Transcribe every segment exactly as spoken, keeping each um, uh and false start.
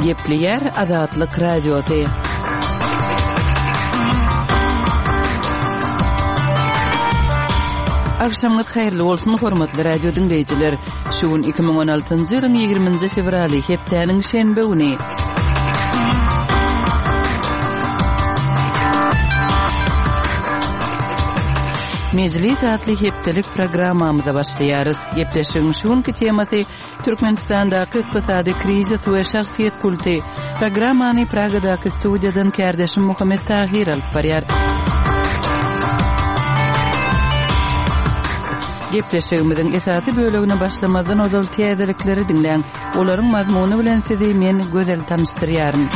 Gepleýär Azatlyk Radiosy. Agşamyňyz haýyrly bolsun, hormatly radio diňleýjiler. Şu gün iki müň on altynjy ýylyň ýigriminji fewraly, hepdäniň şenbe güni. Mejlis atly hepdelik programmamyza başlaýarys. Gepleşigiň şu günki temasy Türkmenistandaky ykdysady krizis we şahsyýet kulty. Programmany Pragadaky studiýadan kärdeşim Muhammet Tahyr alyp barýar. Gepleşigimiziň esasy bölegine başlamazdan ozal täzelikleri diňläň. Olaryň mazmuny bilen sizi men Gözel tanyşdyrýaryn.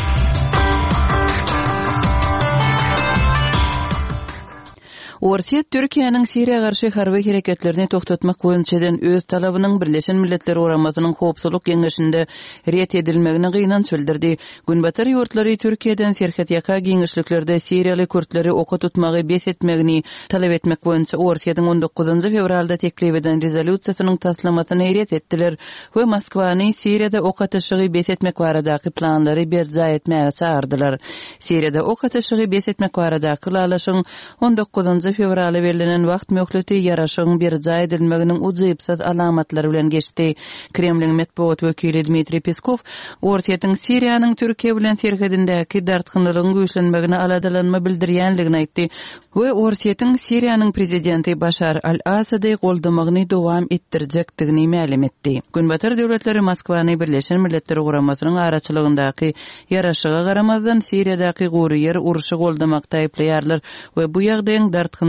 Orsýet Türkiýäniň Siriýa garşy harby hereketlerini togtatmak boýunça eden öz talabynyň Birleşen Milletler Guramasynyň Howpsuzlyk Geňeşinde ret edilmegine gynanç bildirdi. Günbatar ýurtlary Türkiýeden serhetýaka giňişliklerde siriýaly kürtleri oka tutmagy bes etmegini talap etmek boýunça Orsýetiň on dokuzynjy fewralda teklip eden rezolýusiýasynyň taslamasyny ret etdiler we Moskwany Siriýada ok atyşygy bes etmek baradaky planlary berjaý etmäge çagyrdylar. Siriýada ok atyşygy bes etmek baradaky ylalaşygyň on dokuzynjy fewrala bellenen wagt möhleti ýaraşygyň berjaý edilmeginiň ujypsyz alamatlary bilen geçdi. Kremliň metbugat wekili Dmitriý Peskow Orsýetiň Siriýanyň Türkiýe bilen serhedindäki dartgynlylygyň güýçlenmegine aladalanma bildirýänligini aýtdy we Orsýetiň Siriýanyň prezidenti Başar al-Asady goldamagyny dowam etdirjekdigini mälim etdi. Günbatar döwletleri Moskwany Birleşen Milletler Guramasynyň araçylygyndaky ýaraşyga garamazdan Siriýadaky gury ýer urşy goldamakda aýyplaýarlar we bu ýagdaýyň dartgynlylygy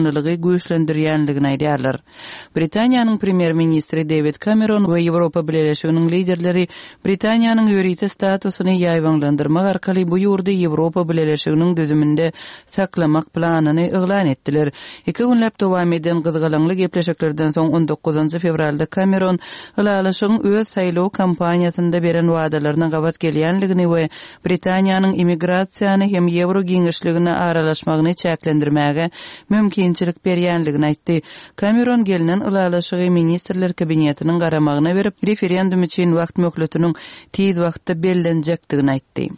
güýçlendirýänligini aýdýarlar. Britaniýanyň premýer-ministri David Cameron we Ýewropa Bileleşiginiň liderleri Britaniýanyň ýörite statusyny ýaýbaňlandyrmak arkaly bu ýurdy Ýewropa Bileleşiginiň düzüminde saklamak planyny yglan etdiler. Iki günläp dowam eden gyzgalaňly gepleşiklerden soň on dokuzynjy fewralda Cameron ylalaşygyň öz saýlaw kampaniýasynda beren wadalaryna gabat gelýänligini we Britaniýanyň immigrasiýany hem ýewro giňişligine aralaşmagyny çäklendirmäge mümkinçilik berýänligini aýtdy. Cameron gelinen ylalaşygy ministrler kabinetiniň garamagyna berip, referendum üçin wagt möhletiniň tiz wagtda bellenjekdigini aýtdy.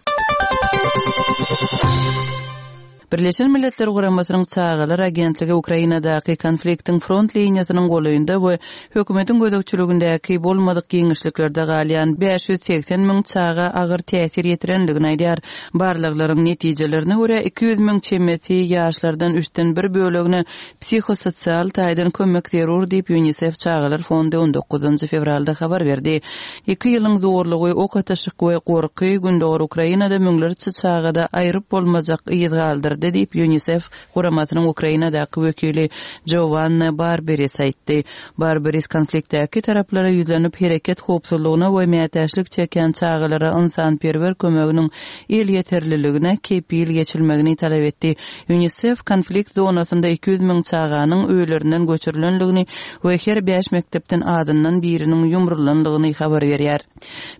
Birleşen Milletler Guramasynyň Çagalar Agentligi Ukrainadaky konfliktiň front liniýasynyň golaýynda we hökümetiň gözegçiligindäki bolmadyk giňişliklerde galýan bäş ýüz segsen müň çaga agyr täsir ýetirenligini aýdýar. Barlaglaryň netijelerine görä iki ýüz müň çemesi ýaşlardan üçden bir bölegine psihososial taýdan kömek zerur diýip UNICEF Çagalar Fondy on dokuzynjy fewralda habar berdi. Iki ýylyň zorlugy, ok atyşyk we gorky Gündogar Ukrainada müňlerçe çagada aýryp bolmajak yz galdyrdy diýip UNICEF guramasynyň Ukrainadaky wekili Giovanna Barberis aýtdy. Barberis konfliktdäki taraplara ýüzlenip hereket howpsuzlygyna we mätäçlik çekýän çagalara ynsanperwer kömeginiň elýeterliligine kepil geçilmegini talap etdi. UNICEF konflikt zonasynda iki ýüz müň çaganyň öýlerinden göçürilenligini we her bäş mekdepden azyndan biriniň ýumrulanlygyny habar berýär.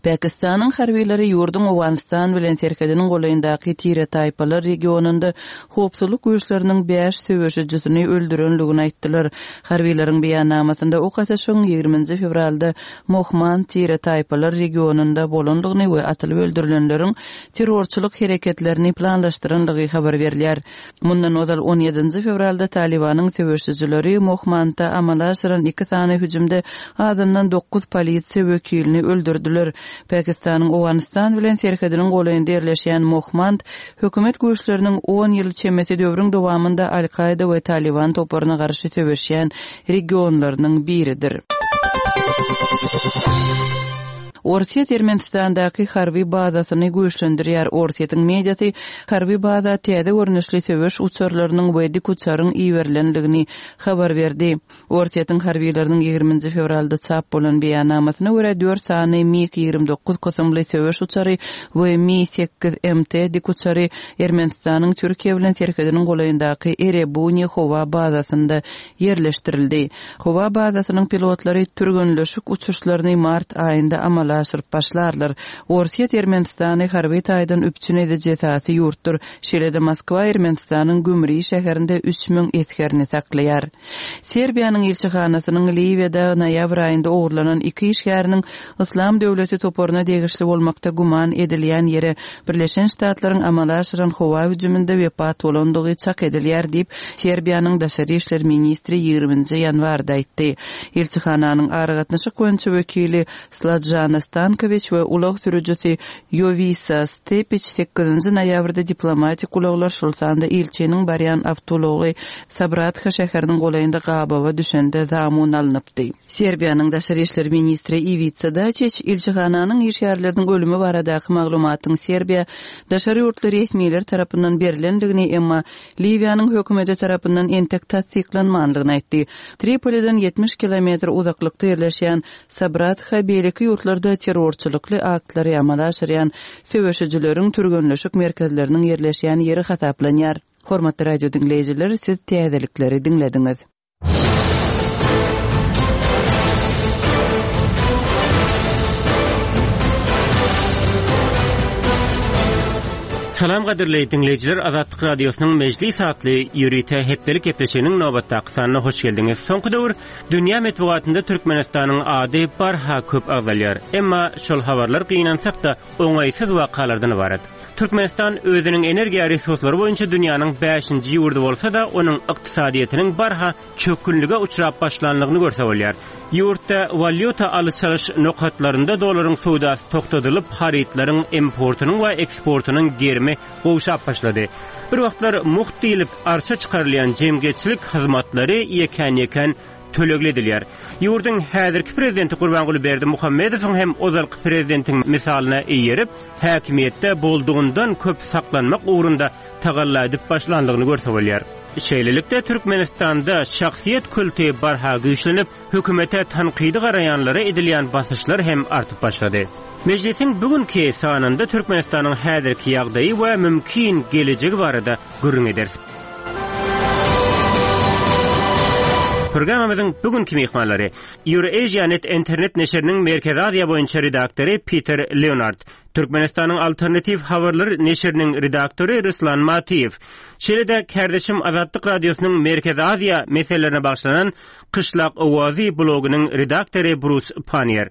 Pakistanyň harbileri ýurduň Owganystan bilen serhediniň golaýyndaky Tire taýpalar regionynda howpsuzlyk güýçleriniň bäş söweşijisini öldürenligini aýtdylar. Harbileriň beýannamasynda ok atyşygyň ýigriminji fewralda Mohmand Tire taýpalar regionynda bolanlygyny we atylyp öldürilenleriň terrorçylyk hereketlerini planlaşdyranlygy habar berilýär. Mundan ozal on ýedinji fewralda Talibanyň söweşijileri Mohmandda amala aşyran iki sany hüjümde azyndan dokuz polisiýa wekilini öldürdüler. Pakistanyň Owganystan bilen serhediniň golaýynda ýerleşýän Mohmand hökümet güýçleriniň on ýyl çemesi döwrüň dowamynda Al-Kaida we Taliban toparyna garşy söweşýän regionlarynyň biridir. Orsýet Ermenistandaky harby bazasyny güýçlendirýär. Orsýetiň mediasy harby baza täze görnüşli söweş uçarlarynyň we dik uçaryň iberilenligini habar berdi. Orsýetiň harbileriniň ýigriminji fewralda çap bolan beýannamasyna görä dört sany MiG ýigrimi dokuz kysymly söweş uçary we Mi sekiz M T dik uçary Ermenistanyň Türkiýe bilen serhediniň golaýyndaky Erebuni howa bazasynda ýerleşdirildi. Howa bazasynyň pilotlary türgenleşik uçuşlaryny mart aýynda amala amala aşyryp başlarlar. Orsýet Ermenistany harby taýdan üpjün ediji esasy ýurtdur. Şeýle-de Moskwa Ermenistanyň Gümri şäherinde üç müň esgerini saklaýar. Serbiýanyň ilçihanasynyň Liwiýada noýabr aýynda ogurlanan iki işgäriniň Yslam döwleti toparyna degişli bolmakda güman edilýän ýere Birleşen Ştatlaryň amala aşyran howa hüjüminde wepat bolandygy çak edilýär diýip, Serbiýanyň daşary işler ministri ýigriminji ýanwarda aýtdy. Ilçihananyň aragatnaşyk boýunça wekili Sladžana Stankowiç we ulag sürüjisi Ýowisa Stepiç sekizinji noýabrda diplomatik ulaglar, şol sanda ilçiniň barýan awtoulagy Sabratha şäheriniň golaýynda gabawa düşende zamun alnypdy. Serbiýanyň daşary işler ministri Iwica Daçiç ilçihananyň işgärleriniň ölümi baradaky maglumatyň Serbiýa daşary ýurtly resmiler tarapyndan berlendigini, emma Liwiýanyň hökümeti tarapyndan entek tassyklanmandygyny aýtdy. Tripoliden ýetmiş kilometr uzaklykda ýerleşýän Sabratha beýleki ýurtlarda terrorçylykly aktlary amala aşyrýan söweşijileriň türgenleşik merkezleriniň ýerleşýän ýeri hasaplanýar. Hormatly radio diňleýjiler, siz täzelikleri diňlediňiz. Salam gadyrly diňleýjiler, Azatlyk Radiosynyň Mejlis atly ýörite hepdelik gepleşiginiň nobatdaky sanyna hoş geldiňiz. Soňky döwür dünýä metbugatynda Türkmenistanyň ady barha köp agzalýar. Emma şol habarlar gynansak-da oňaýsyz wakalardan ybarat. Türkmenistan özüniň energiýa resurslary boýunça dünýäniň bäşinji ýurdy bolsa-da, onuň ykdysadyýetiniň barha çökgünlige uçrap başlanlygyny görse bolýar. Ýurtda walýuta alyş-çalyş nokatlarynda dolaryň söwdasy togtadylyp, harytlaryň importynyň we eksportynyň gerimi gowşap başlady. Bir wagtlar mugt diýlip arça çykarylýan jemgyýetçilik hyzmatlary ýekän-ýekän tölegli edilýär. Ýurduň häzirki prezidenti Gurbanguly Berdimuhamedowyň hem ozalky prezidentiň misalyna eýerip, häkimiýetde boldugyndan köp saklanmak ugrunda tagalla edip başlanlygyny görse bolýar. Şeýlelikde Türkmenistanda şahsyýet kulty barha güýçlenip, hökümete tankydy garaýanlara edilýän basyşlar hem artyp başlady. Mejlisiň bugünki sanynda Türkmenistanyň häzirki ýagdaýy we mümkin gelejegi barada gürrüň ederis. Programmamyzyň bugünkü myhmanlary Eurasia.net internet neşiriniň Merkezi Aziýa boýunça redaktory Peter Leonard, Türkmenistanyň Alternativ habarlar neşiriniň redaktory Ruslan Matiýew, şeýle-de kärdeşim Azatlyk Radiosynyň Merkezi Aziýa meselelerine bagyşlanan Kyşlak Owazy blogynyň redaktory Brus Pannier.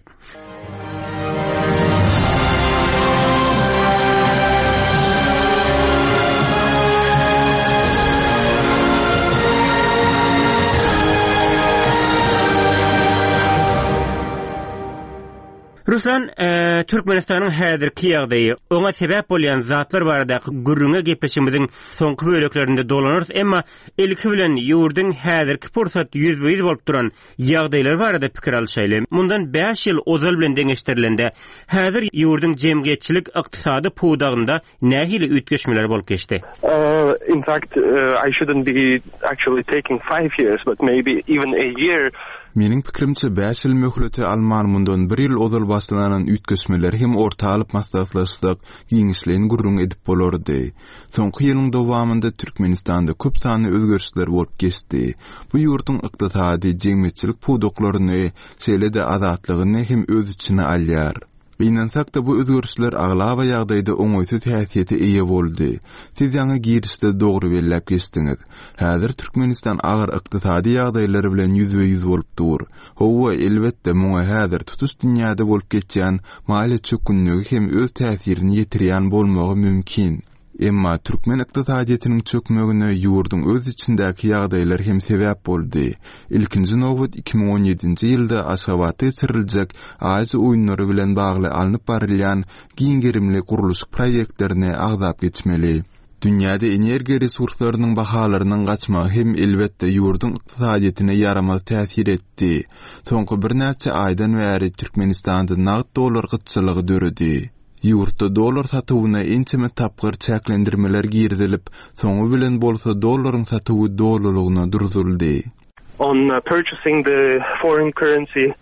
Ruslan, e, Türkmenistanyň häzirki ýagdaýy, oňa sebäp bolýan zatlar baradaky gürrüňe gepleşigimiziň soňky böleklerinde dolanarys, emma ilki bilen ýurduň häzirki pursat ýüzbe-ýüz bolup duran ýagdaýlar barada pikir alşaýly. Mundan bäş ýyl ozal bilen deňeşdirilende, häzir ýurduň jemgyýetçilik ykdysady pudagynda nähili üýtgeşmeler bolup geçdi? Uh, in fact, uh, I shouldn't be actually taking five years, but maybe even a year. Meniň pikirimçe bäş ýyl möhleti alman mundan bir ýyl ozal başlanan üýtgeşmeleri hem orta alyp maslahatlaşsak, giňişleýin gürrüň edip bolardy. Soňky ýylyň dowamynda Türkmenistanda köp sanly özgerişler bolup geçdi. Bu ýurduň ykdysady, jemgyýetçilik pudaklaryny, şeýle-de azatlygyny hem öz içine alýar. Gynansak-da bu özgerişler aglaba ýagdaýda oňaýsyz häsiýete eýe boldy. Siz ýaňy girişde dogry belläp geçdiňiz. Häzir Türkmenistan agyr ykdysady ýagdaýlar bilen ýüzbe-ýüz bolup dur. Hawa, elbetde muňa häzir tutuş dünýäde bolup geçýän maliýe çökgünligi hem öz täsirini ýetirýän bolmagy mümkin. Emma türkmen ykdysadyýetiniň çökmegine ýurduň öz içindäki ýagdaýlar hem sebäp boldy. Ilkinji nobat iki müň on ýedinji ýylda Aşgabatda geçiriljek Aziýa oýunlary bilen bagly alnyp barylýan giň gerimli gurluşyk proýektlerini agzap geçmeli. Dünýäde energiýa resurslarynyň bahalarynyň gaçmagy hem elbetde ýurduň ykdysadyýetine ýaramaz täsir etdi. Soňky birnäçe aýdan bäri Türkmenistanda nagt dollar gytçylygy döredi. Ýurtda dollar satuwyna ençeme tapgyr çäklendirmeler girizilip, soňy bilen bolsa dollaryň satuwy dolulygyna durduryldy. On, uh, purchasing the foreign currency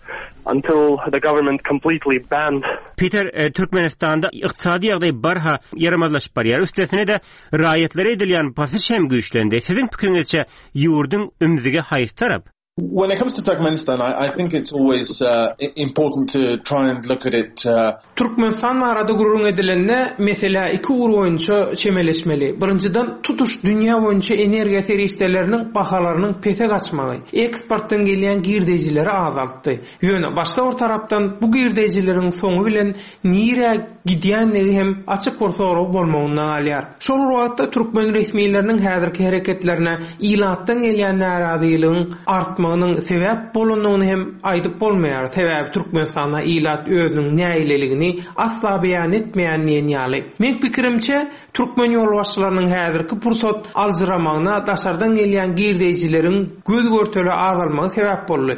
until the government completely banned. Peter, e, Türkmenistanda ykdysady ýagdaý barha ýaramazlaşyp barýar. Üstesine de raýatlara edilýän basyş hem güýçlendi. Siziň pikiriňizçe ýurduň ümzügi haýsy tarap? When it comes to Turkmenistan, I, I think it's always uh, important to try and look at it. Uh, Türkmenistan barada gürrüň edilende meselä iki ugur boýunça çemeleşmeli. Birinjiden tutuş dünýä boýunça energiýa serişdeleriniň bahalarynyň pese gaçmagy, eksportdan gelýän girdejileri azaltdy. Ýöne başga bir tarapdan bu girdejileriň soňy bilen nirä gidýänligi hem açyk bir sorag bolmagynda galýar. Şol wagtda türkmen resmileriniň häzirki hereketlerine ilatdan gelýän närazylygyň artmagynyň sebäp bolandygyny hem aýdyp bolmaýar. Sebäbi Türkmenistanda ilat özüniň nägileligini asla beýan etmeýän diýen ýaly. Men pikirimçe türkmen ýolbaşçylarynyň häzirki pursat aljyramagyna daşardan gelýän girdejileriň göz görtele azalmagy sebäp boldy.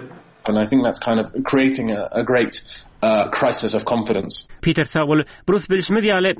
And I think that's kind of creating a, a great uh, crisis of confidence. Peter sag bol. Brus bilişimiz ýaly,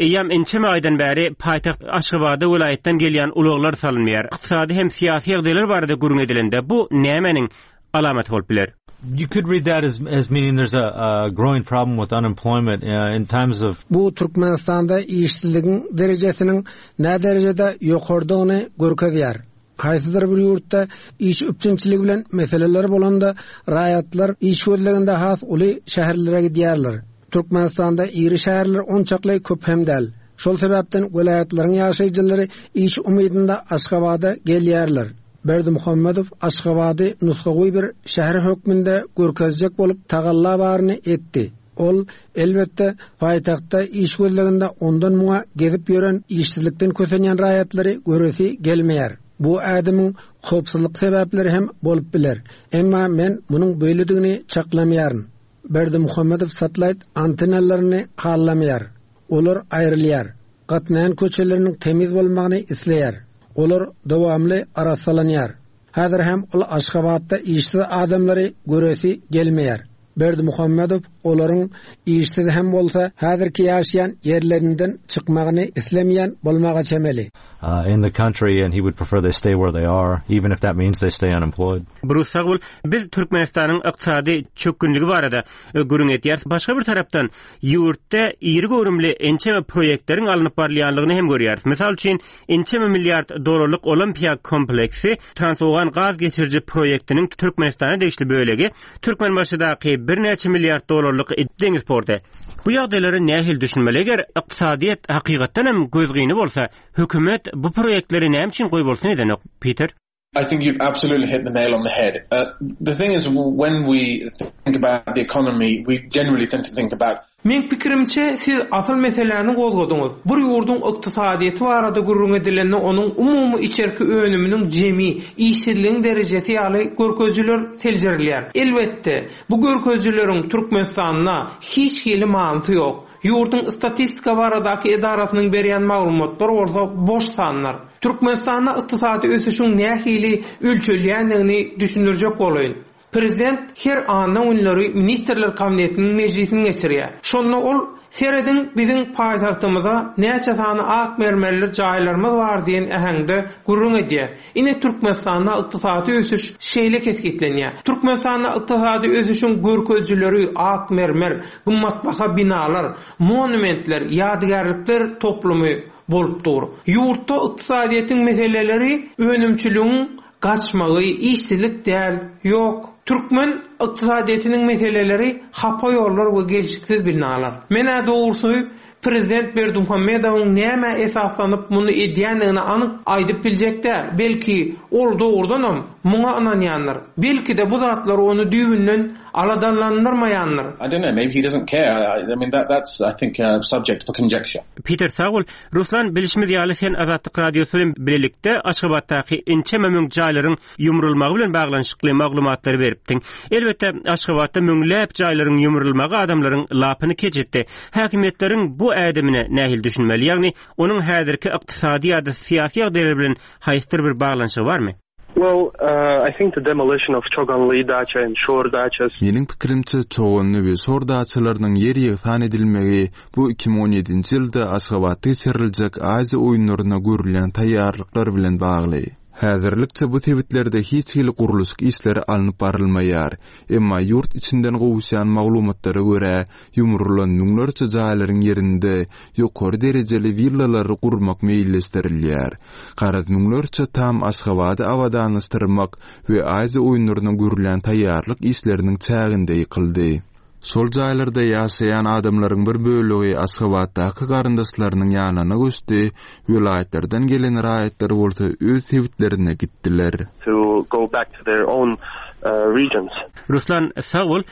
eýýäm ençeme aýdan bäri paýtagt Aşgabada welaýatdan gelýän ulaglar salynmaýar. Ykdysady hem syýasy ýagdaýlar barada gürrüň edilende bu nämäniň alamaty bolup biler? You could read that as as meaning there's a, a growing problem with unemployment uh, in times of Bu Türkmenistanda işsizligiň derejesiniň nä derejede ýokardygyny görkezýär. Haýsydyr bir ýurtda iş üpjünçiligi bilen meseleler bolanda raýatlar iş gözleginde has uly şäherlere gidýärler. Türkmenistanda iri şäherler onçakly köp hem däl. Şol sebäpden welaýatlaryň ýaşaýjylary iş umydynda Aşgabada gelýärler. Berdimuhamedow Aşgabady nusgawy bir şäher hökmünde görkezjek bolup tagalla baryny etdi. Ol elbetde paýtagtda iş gözleginde ondan muňa gezip ýören işsizlikden kösenýän raýatlary göresi gelmeýär. Bu ädimiň howpsuzlyk sebäpleri hem bolup biler. Emma men munuň beýledigini çaklamaýaryn. Berdimuhamedow satellite antenalaryny halamaýar. Olar aýrylýar. Gatnaýan köçeleriniň temiz bolmagyny isleýär. Olar dowamly arassalanýar. Häzir hem ol Aşgabatda işsiz adamlary göresi gelmeýär. Berdimuhamedow olaryň işsiz hem bolsa häzirki ýaşaýan ýerlerinden çykmagyny islemeýän bolmaga çemeli. uh, in the country and he would prefer they stay where they are even if that means they stay unemployed. Brus sag bol. Biz Türkmenistanyň ykdysady çökgünligi barada e, gürrüň etýäris. Başga bir tarapdan ýurtda iri göwrümli ençeme proýektleriň alnyp barylýanlygyny hem görýäris. Mysal üçin ençeme milliard dollarlyk Olimpiýa kompleksi Transowgan gaz geçiriji proýektiniň Türkmenistana degişli bölegi Türkmenbaşydaky birnäçe milliard dollarlyk deňiz porty. Bu ýagdaýlara nähili düşünmeli? Eger ykdysadyýet hakykatdan hem gözgyny bolsa, hökümet bu proýektleri näme üçin goýbolsun edenok, Peter? I think you've absolutely hit the nail on the head. Uh, the thing is, when we think about the economy, we generally tend to think about Men pikirimçe siz asyl meseläni gozgadyňyz. Bir ýurduň ykdysadyýeti barada gürrüň edilende onuň umumy içerki önüminiň jemi, işsizligiň derejesi ýaly görkezijiler seljerilýär. Elbetde, bu görkezijileriň Türkmenistanda hiç hili manysy ýok. Ýurduň statistika baradaky edarasynyň berýän maglumatlary bolsa boş sanlar. Türkmenistanda ykdysady ösüşiň nähili ölçelýändigini düşündirjek bolaýyn. Prezident her anna günleri Ministrler Kabinetiniň mejlisini geçirýär. Şonda ol serediň biziň paýtagtymyza näçe sany ak mermerli jaýlarymyz bar diýen äheňde gürrüň edýär. Ine Türkmenistanda ykdysady ösüş şeýle kesgitlenýär. Türkmenistanda ykdysady ösüşiň görkezijileri ak mermer, gymmatbaha binalar, monumentler, ýadygärlikler toplumy bolup dur. Ýurtda ykdysadyýetiň meseleleri önümçiligiň gaçmagy, işsizlik däl, ýok. Türkmen ykdysadyýetiniň meseleleri hapa ýollar we gelşiksiz binalar. Menä dogrusy Prezident Berdimuhamedowyň näme esaslanyp muny edýändigini anyk aýdyp biljek däl. Belki ol dogrudanam muňa ynanýandyr. Belki-de bu zatlar ony düýbünden aladanlandyrmaýandyr. I don't know, maybe he doesn't care. I, I mean, that, that's, I think, uh, subject for conjecture. Peter sag bol. Ruslan bilişimiz ýaly sen Azatlyk Radiosy bilen birlikde Aşgabatdaky ençeme müň jaýlaryň ýumrulmagy bilen baglanyşykly maglumatlary beripdiň. Elbetde Aşgabatda müňläp jaýlaryň ýumrulmagy adamlaryň lapyny keç etdi. Häkimiýetleriň bu ädimine nähili düşünmeli? Ýagny onuň häzirki ykdysady ýa-da syýasy ýagdaýlar bilen haýsydyr bir baglanyşygy barmy? Well, uh, I think the demolition of Choganli dacha and Shor dachas Meniň pikirimçe Çoganly we Şor daçalarynyň ýer ýegsan edilmegi bu iki müň on ýedinji ýylda Aşgabatda geçiriljek Aziýa oýunlaryna görülýän taýýarlyklar bilen bagly. Häzirlikçe bu sebitlerde hiç hili gurluşyk işleri alnyp barylmaýar. Emma ýurt içinden gowuşýan maglumatlara görä, ýumrulan müňlerçe jaýlaryň ýerinde ýokary derejeli willalary gurmak meýilleşdirilýär. Garaz müňlerçe tam Aşgabady abadanlaşdyrmak we Aziýa oýunlaryna görülýän taýýarlyk işleriniň çäginde ýykyldy. Şol jaýlarda ýaşaýan adamlaryň bir bölegi Aşgabatdaky garyndaşlarynyň ýanyna göçdi, welaýatlardan gelen raýatlar bolsa öz sebitlerine gitdiler. To go back to their own uh, regions. Ruslan sag bol.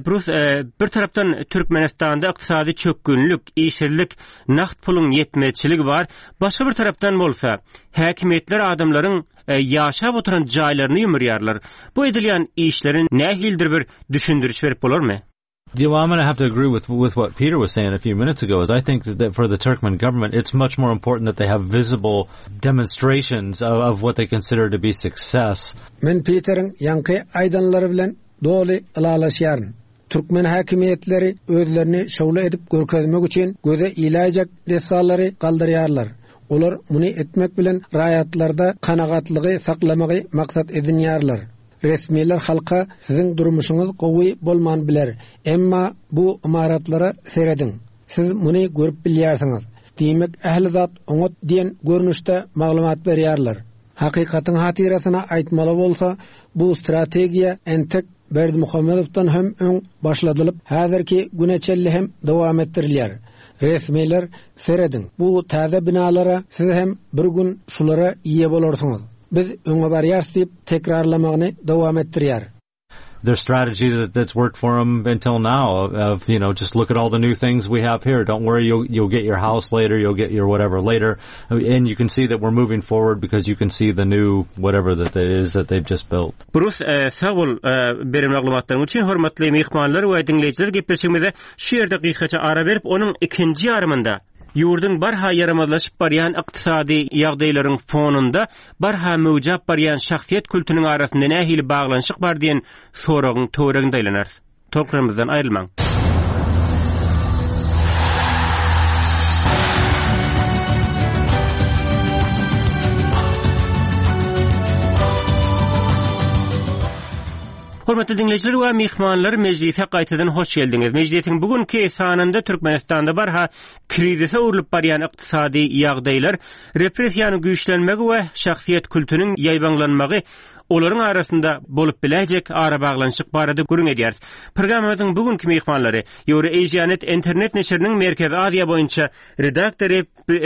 Brus bir tarapdan Türkmenistanda ykdysady çökgünlik, işsizlik, nagt puluň ýetmezçiligi bar. Başga bir tarapdan bolsa häkimiýetler adamlaryň ýaşap oturan jaýlaryny ýumurýarlar. Bu edilýän işlerin nähilidir bir düşündiriş berip bolarmy? Yeah, well, I'm going to have to agree with with what Peter was saying a few minutes ago. Is I think that, that for the Turkmen government, it's much more important that they have visible demonstrations of, of what they consider to be success. Men Peteriň ýaňky aýdanlary bilen doly ylalaşýaryn. Türkmen häkimiýetleri özlerini şowly edip görkezmek üçin göze iläýjek desgalary galdyrýarlar. Olar muny etmek bilen raýatlarda kanagatlygy saklamagy maksat edinýärler. Resmiler halka siziň durmuşyňyz gowy bolman biler. Emma bu ymaratlara serediň. Siz muny görüp bilýärsiňiz. Diýmek ähli zat oňat diýen görnüşde maglumat berýärler. Hakykatyň hatyrasyna aýtmaly bolsa, bu strategiýa entek Berdimuhamedowdan hem öň başladylyp, häzirki güne çenli hem dowam etdirilýär. Resmiler serediň. Bu täze binalara siz hem bir gün şulara eýe bolarsyňyz. Biz öňe barýarys diýip tekrarlamagyny dowam etdirýär. Their strategy that, that's worked for them until now of, of, you know, just look at all the new things we have here. Don't worry, you'll, you'll get your house later, you'll get your whatever later. And you can see that we're moving forward because you can see the new whatever that it is that they've just built. Brus, sag bol beren maglumatlaryň üçin hormatly myhmanlar we diňleýjiler gepleşigimize şu ýerde gysgaça ara berip, onuň ikinji ýarymynda ýurduň barha ýaramazlaşyp barýan ykdysady ýagdaýlaryň fonunda barha möwjap barýan şahsyýet kültüniň arasynda nähili baglanyşyk bar diýen soragyň töwereginde aýlanarys. Tolkunlarymyzdan aýrylmaň. Hormatly diňleýjiler we myhmanlar, mejlise gaýtadan hoş geldiňiz. Mejlisiň bugünkü sanynda Türkmenistanda barha krizise öwrülip barýan ykdysady ýagdaýlar, repressiýanyň güýçlenmegi we şahsyýet kültüniň ýaýbaňlanmagy olaryň arasynda bolup biläýjek ara baglanyşyk barada gürrüň edýäris. Programmamyzyň bugünkü myhmanlary Eurasianet internet neşiriniň Merkezi Aziýa boýunça redaktory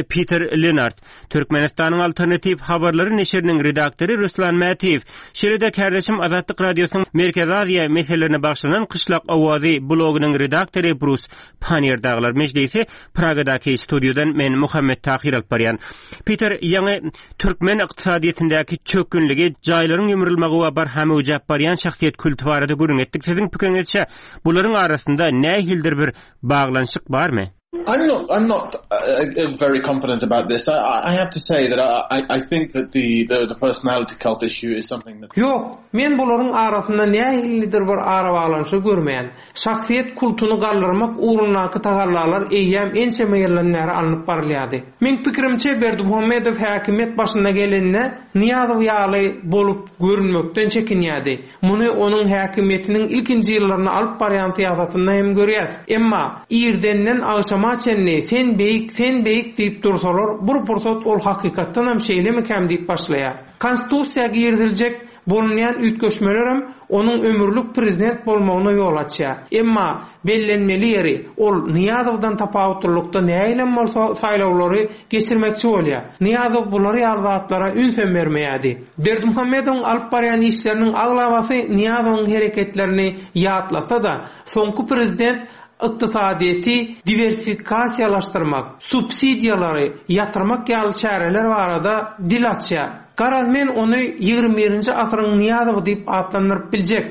Peter Lenart, Türkmenistanyň Alternativ habarlary neşiriniň redaktory Ruslan Mätiýew, şeýle-de kärdeşim Azatlyk Radiosynyň Merkezi Aziýa meselelerine bagyşlanan Kyşlak Owazy blogynyň redaktory Brus Panniýer daglar mejlisi Pragadaky studiýadan men Muhammet Tahir alyp barýan. Peter, ýaňy türkmen ykdysadyýetindäki çökgünligi, jaýlaryň ýumrulmagy we barha möwjäp barýan şahsyýet külti barada gürrüň etdik. Siziň pikiriňizçe bularyň arasynda nähilidir bir baglanyşyk barmy? I'm not. I'm not uh, very confident about this. I, I have to say that I, I think that the, the the personality cult issue is something that. Ýok, men bularyň arasynda nähilidir bir ara baglanyşyk görmeýän. Şahsyýet kultuny galdyrmak ugrundaky tagallalar eýýäm ençeme ýyldan bäri alnyp barylýardy. Men pikirimçe Berdimuhamedow häkimiýet başyna gelende Nyýazow ýaly bolup görünmekden çekinýärdi. Muny onuň häkimiýetiniň ilkinji ýyllaryny alyp barýan syýasatynda hem görýäs. Emma irdenden agşama çenli sen beýik, sen beýik diýip dursalar, bir pursat ol hakykatdan hem şeýlemikäm diýip başlaýar. Konstitusiýa giriziljek bolunýan üýtgeşmeler hem onuň ömürlik prezident bolmagyna ýol açýar. Emma bellenmeli ýeri ol Nyýazowdan tapawutlylykda näýlem bolsa saýlawlary geçirmekçi bolýar. Nyýazow bular ýaly zatlara üns hem bermeýärdi. Berdimuhamedowyň alyp barýan işleriniň aglabasy Nyýazowyň hereketlerini ýatlasa-da, soňky prezident ykdysadyýeti diwersifikasiýalaşdyrmak, subsidiýalary ýatyrmak ýaly çäreler barada dil açýar. Garaz men ony ýigrimi birinji asyryň Nyýazowy diýip atlandyryp biljek.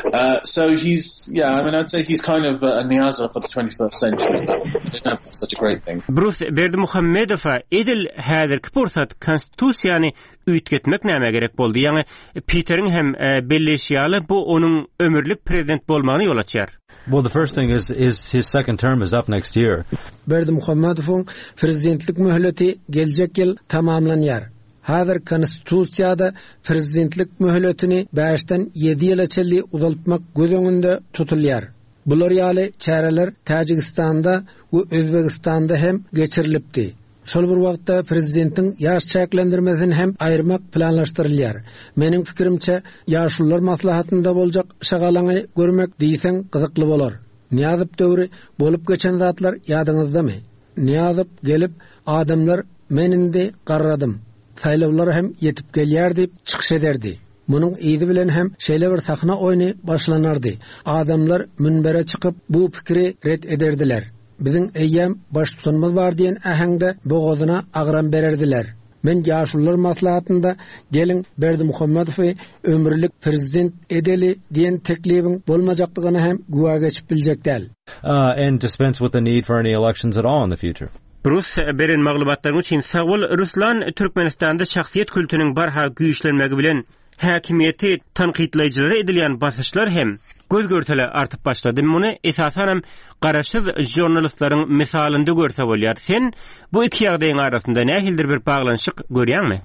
Uh, so he's, yeah, I mean, I'd say he's kind of a Niyazov for the twenty-first century. I don't know if that's such a great thing. Brus Berdimuhamedowa edil häzirki pursat konstitusiýany üýtgetmek näme gerek boldy? Ýagny Peteriň hem belleşi ýaly bu onuň ömürlik prezident bolmagyny ýol açýar. Well, the first thing is, is his second term is up next year. Berdimuhamedowyň prezidentlik möhleti geljek ýyl tamamlanýar. Häzir konstitusiýada prezidentlik möhletini bäşden ýedi ýyla çenli uzaltmak göz öňünde tutulýar. Bular ýaly çäreler Täjigistanda we Özbegistanda hem geçirilipdi. Şol bir wagtda prezidentiň ýaş çäklendirmesini hem aýyrmak planlaşdyrylýar. Meniň pikirimçe, ýaşulular maslahatynda boljak şagalaňy görmek diýseň gyzykly bolar. Nyýazow döwri bolup geçen zatlar ýadyňyzdamy? Nyýazow gelip, adamlar men indi garradym. Saýlawlar hem ýetip gelýär diýip çykyş ederdi. Munuň yzy bilen hem şeýle bir sahna oýny başlanardy. Adamlar münbere çykyp bu pikiri ret ederdiler. Biziň eýýäm baştutanymyz bar diýen äheňde bogazyna agram bererdiler. Men ýaşulular maslahatynda geliň Berdimuhamedowy ömürlik prezident edeli diýen teklibiň bolmajakdygyna hem güwä geçip biljek däl. Uh, and dispense with the need for any elections at all in the future. Rus beren maglumatlaryň üçin sag bol. Ruslan Türkmenistanda şahsyýet kultunyň barha güýçlenmegi bilen häkimiýeti tankytlaýjylara edilýän basyşlar hem göz görtele artyp başlady. Muny esasanam garaşsyz žurnalistleriň mysalynda görse bolýar. Sen bu iki ýagdaýyň arasynda nähilidir bir baglanyşyk görýäňmi?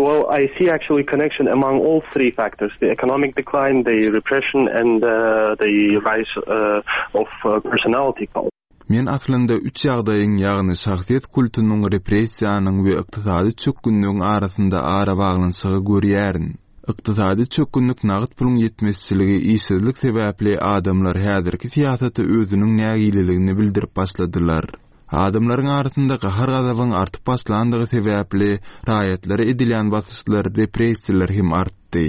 Well, I see actually connection among all three factors: the economic decline, the repression, and uh, the rise uh, of uh, personality cult. Men aslynda üç ýagdaýyň, ýagny şahsyýet kultunyň, repressiýanyň we ykdysady çökgünligiň arasynda arabaglanyşygy görýärin. Ykdysady çökgünlik nagt puluň ýetmezçiligi, işsizlik sebäpli adamlar häzirki syýasata özüniň nägileligini bildirip başladylar. Adamlaryň arasynda gahar-gazabyň artyp başlandygy sebäpli raýatlara edilýän basyşlar, repressiýalar hem artdy.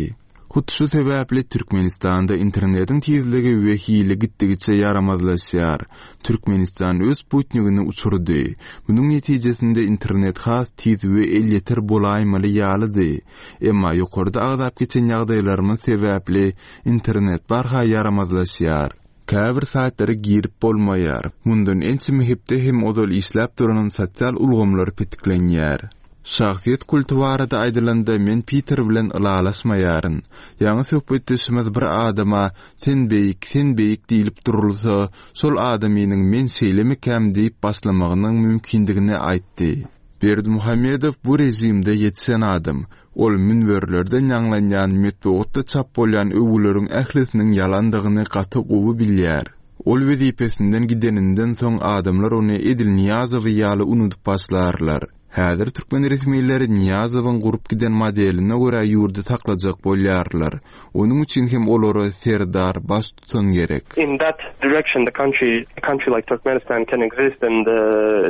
Hut şu sebäpli Türkmenistanda internetiň tizligi we hili gitdigiçe ýaramazlaşýar. Türkmenistan öz sputnigini uçurdy. Munuň netijesinde internet has tiz we elýeter bolaýmaly ýalydy. Emma ýokarda agzap geçen ýagdaýlarymyz sebäpli internet barha ýaramazlaşýar. Käbir saýtlara girip bolmaýar. Mundan ençeme hepde hem ozal işläp duran sosial ulgamlar petiklenýär. Şahsyýet kulty barada aýdylanda men Peter bilen ylalaşmaýaryn. Ýaňy söhbetdeşimiz bir adama sen beýik, sen beýik diýilip durulsa, şol adamynyň men şeýlemikäm diýip başlamagynyň mümkindigini aýtdy. Berdimuhamedow bu rejimde ýetişen adam. Ol münberlerden ýaňlanýan metbugatda çap bolýan öwgüleriň ählisiniň ýalandygyny gaty gowy bilýär. Ol wezipesinden gideninden soň adamlar ony edil Nyýazowy ýaly unudyp başlarlar. Häzir türkmen resmileri Nyýazowyň gurup giden modeline görä ýurdy saklajak bolýarlar. Onuň üçin hem olara serdar baştutan gerek. In that direction, the country, a country like Turkmenistan can exist and uh,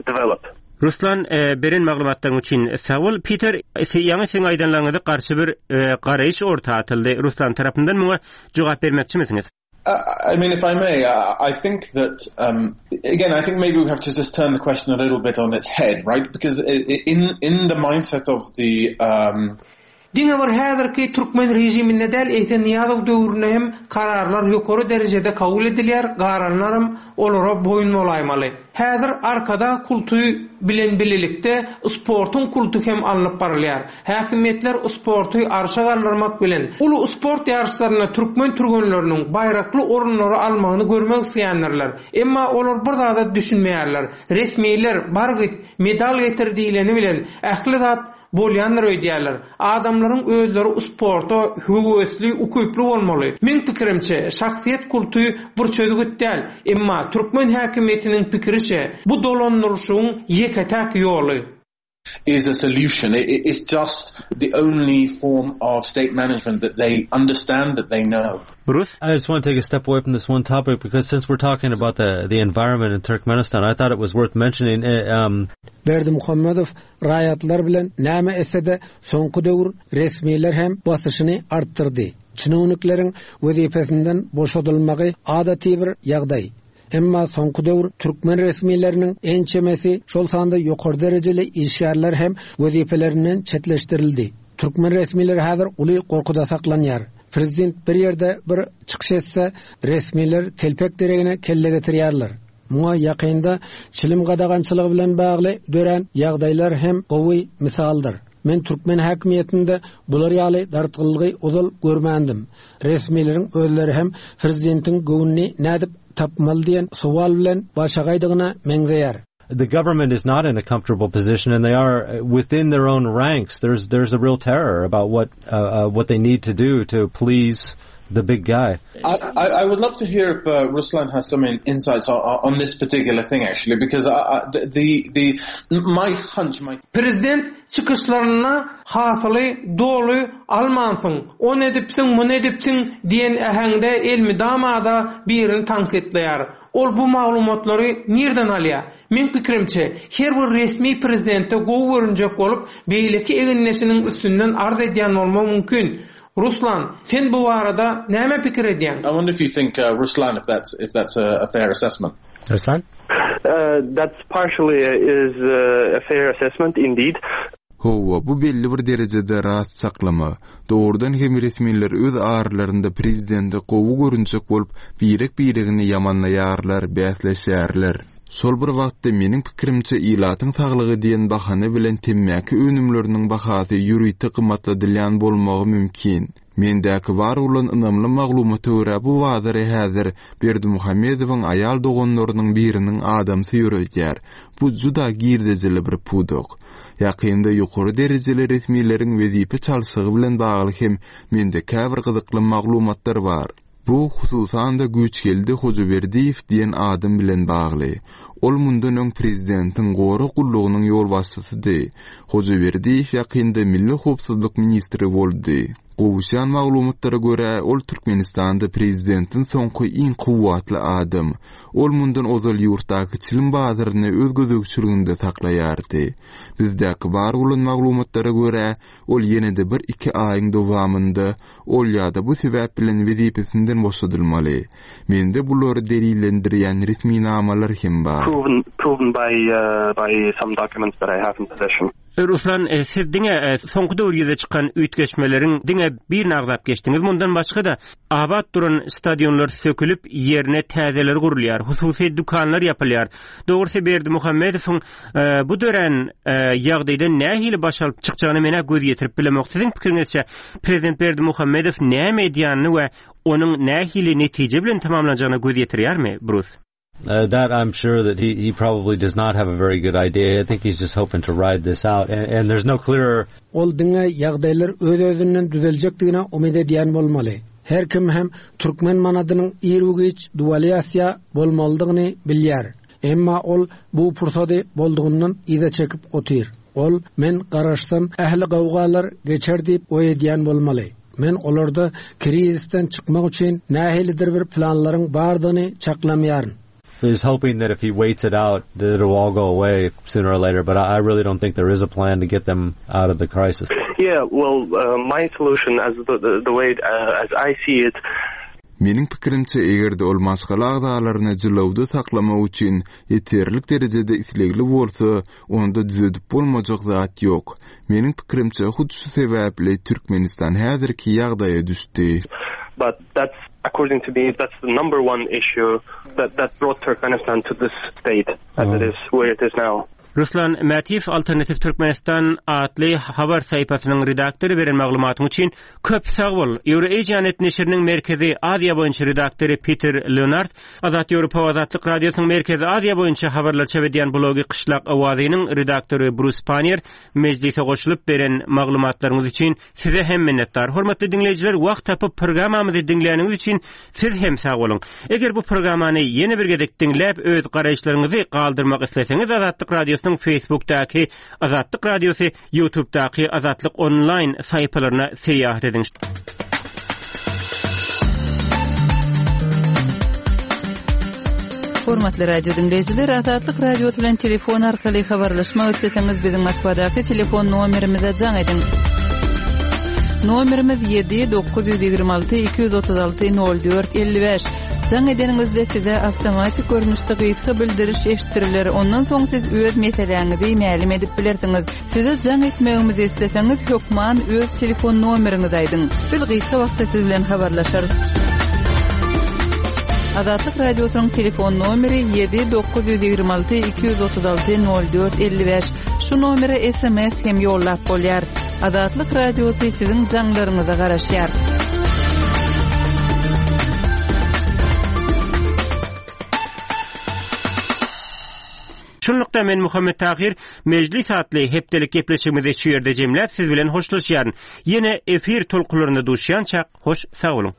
develop. Ruslan e, beren maglumatlaryň üçin sag bol. Peter, ýaňy seň aýdanlaryňyza garşy bir e, garaýyş orta atyldy. Ruslan tarapyndan muňa jogap bermekçimisiňiz? Uh, I mean, if I may, uh, I think that, um, again, I think maybe we have to just turn the question a little bit on its head, right? Because in, in the mindset of the, um, Diňe bir häzirki türkmen rejiminde däl, eýse Nyýazow döwründe hem kararlar ýokary derejede kabul edilýär, galanlaram olara boýun bolaýmaly. Häzir Arkadag kulty bilen birlikde sportuň kulty hem alnyp barylýar. Häkimiýetler sporty arşa galdyrmak bilen uly sport ýaryşlarynda türkmen türgenleriniň baýrakly orunlary almagyny görmek isleýändirler. Emma olar bir zada düşünmeýärler. Resmiler bar git medal getir diýileni bilen ähli zat bolýandyr öýdýärler. Adamlaryň özleri sporta höwesli, ukyply bolmaly. Meň pikirimçe, şahsyýet kulty bir çözgüt däl, emma türkmen häkimiýetiniň pikiriçe bu dolandyryşyň ýeke-täk ýoly. is a solution. It, it's just the only form of state management that they understand, that they know. Bruce? I just want to take a step away from this one topic because since we're talking about the, the environment in Turkmenistan, I thought it was worth mentioning. Uh, um, Berdimuhamedow raýatlar bilen näme etse-de soňky döwür resmiler hem basyşyny artdyrdy. Çinownikleriň wezipesinden boşadylmagy adaty bir ýagdaý. Emma soňky döwür türkmen resmileriniň ençemesi şol sanda ýokary derejeli işgärler hem wezipelerinden çetleşdirildi. Türkmen resmileri häzir uly gorkuda saklanýar. Prezident bir ýerde bir çykyş etse, resmiler telpek deregine kelle getirýärler. Muňa ýakynda çilim gadagançylygy bilen bagly dörän ýagdaýlar hem gowy misaldyr. Men türkmen häkimiýetinde bular ýaly dartgynlygy ozal görmändim. Resmileriň özleri hem prezidentiň göwnüni nädip tapmaly diýen sowal bilen başagaýdygyna meňzeýär. the government is not in a comfortable position, and they are within their own ranks. There's there's a real terror about what uh, uh, what they need to do to please the big guy. I, I, I would love to hear if uh, Ruslan has some in, insights on, on this particular thing, actually, because I, I, the, the the my hunch, my Prezident çykyşlarynda hasyly doly almansyň, ony edipsiň, muny edipsiň diýen äheňde elmydama-da birini tankytlaýar. Ol bu maglumatlary nirden alýar? Meň pikirimçe, her bir resmi prezidente gowy görünjek bolup, beýleki egindeşiniň üstünden arz edýän bolmagy mümkin. Ruslan, sen bu barada näme pikir edýäň? I wonder if you think, uh, Ruslan, if that's if that's a, a fair assessment. Ruslan? Uh, that's partially is uh, a fair assessment indeed. Hawa, bu belli bir derejede rast çaklama. Dogrudan hem resmiler öz aralarynda prezidente gowy görünjek bolup, birek-biregini ýamanlaýarlar, bäsleşýärler. Şol bir wagtda meniň pikirimçe ilatyň saglygy diýen bahana bilen temmäki önümleriniň bahasy ýörite gymmatladylýan bolmagy mümkin. Mendäki bar bolan ynamly maglumata görä bu bazary häzir Berdimuhamedowyň aýal doganlarynyň biriniň adamsy ýöredýär. Bu juda girdejili bir pudak. Ýakynda ýokary derejeli resmileriň wezipe çalşygy bilen bagly hem mende käbir gyzykly maglumatlar bar. Bu hususan-da Güýçgeldi Hojaberdiýew diýen adam bilen bagly. Ol mundan öň prezidentiň gorag gullugynyň ýolbaşçysydy. Hojaberdiýew ýakynda Milli howpsuzlyk ministri boldy. Gowuşýan maglumatlara görä, ol Türkmenistanda prezidentiň soňky iň kuwwatly adam. Ol mundan ozal ýurtdaky çilim bazaryny öz gözegçiliginde saklaýardy. Bizdäki bar bolan maglumatlara görä, ol ýene-de bir iki aýyň dowamynda ol ýa-da bu sebäp bilen wezipesinden boşadylmaly. Mende bulary delillendirýän resminamalar hem bar. Proven, proven by, uh, by some documents that I have in possession. Ruslan, e, siz diňe e, soňky döwür ýüze çykan üýtgeşmeleriň diňe birini agzap geçdiňiz. Mundan başga-da abat duran stadionlar sökülip, ýerine täzeleri gurulýar, hususy dükanlar ýapylýar. Dogrusy Berdimuhamedowyň e, bu dörän ýagdaýdan nähili baş alyp çykjagyny men göz ýetirip bilemok. Siziň pikiriňizçe prezident Berdimuhamedow näme edýänini we onuň nähili netije bilen tamamlanjagyna göz ýetirýärmi, Bruce? Uh, that I'm sure that he, he probably does not have a very good idea. I think he's just hoping to ride this out. And, and there's no clearer Ol diňe ýagdaýlar öz-özünden düzeljekdigine umyt edýän bolmaly. Her kim hem türkmen manadynyň ir-u-giç dewalyasiýa bolmalydygyny bilýär. Emma ol bu pursady boldugyndan yza çekip otyr. Ol men garaşsam ähli gawgalar geçer diýip oý edýän bolmaly. Men olarda krizisden çykmak üçin nähilidir bir planlaryň bardygyny çaklamaýaryn. He's hoping that if he waits it out, that it'll all go away sooner or later. But I, I really don't think there is a plan to get them out of the crisis. Yeah, well, uh, my solution, as the, the, the way uh, as I see it, Meniň pikirimçe eger-de ol maşgala agzalaryny jylawda saklamak üçin ýeterlik derejede islegli bolsa, onda düzedip bolmajak zat ýok. Meniň pikirimçe hut şu sebäpli Türkmenistan häzirki ýagdaýa düşdi. but that's according to me, that's the number one issue that, that brought Turkmenistan to this state as it is where it is now. Ruslan Mätiýew Alternativ Türkmenistan atly habar sahypasynyň redaktory beren maglumatyň üçin köp sag bol. Eurasianet neşiriniň Merkezi Aziýa boýunça redaktory Peter Leonard, Azat Ýewropa Azatlyk Radiosynyň Merkezi Aziýa boýunça habarlar çap edýän blogy Gyşlak Owazynyň redaktory Bruce Pannier mejlise goşulyp beren maglumatlaryňyz üçin size hem minnetdar. Hormatly diňleýjiler, wagt tapyp programmamyzy diňläniňiz üçin siz hem sag boluň. Eger bu programmany ýene bir gezek diňläp öz garaýyşlaryňyzy galdyrmak isleseňiz Azatlyk Radiosynyň Facebookdaky Azatlyk Radiosy, YouTube'daky Azatlyk Online sahypalaryna syýahat ediň. Hormatly radio diňleýjiler, Azatlyk Radiosy bilen telefon arkaly habarlaşmak isleseňiz biziň Moskwadaky telefon nomerimize jaň ediň. Nomerimiz ýedi dokuz ýüz ýigrimi alty iki ýüz otuz alty nol dört elli bäş. Jaň edeniňizde size awtomatik görnüşde gysga bildiriş eşitdiriler. Ondan soň siz öz meseläňizi mälim edip bilersiňiz. Size jaň etmegimizi isleseňiz hökman öz telefon nomeriňizi aýdyň. Biz gysga wagtda siz bilen habarlaşarys. Azatlyk Radiosynyň telefon nomeri ýedi dokuz ýüz ýigrimi alty iki ýüz otuz alty nol dört elli bäş. Şu nomere S M S hem ýollap bolýar. Azatlyk Radiosy siziň jaňlaryňyza garaşýar. Şu Şunlukda men Muhammet Tahir Mejlis atly hepdelik gepleşigimizi şu ýerde jemläp siz bilen hoşlaşýaryn. Ýene efir tolkunlarynda duşýançak hoş sag boluň.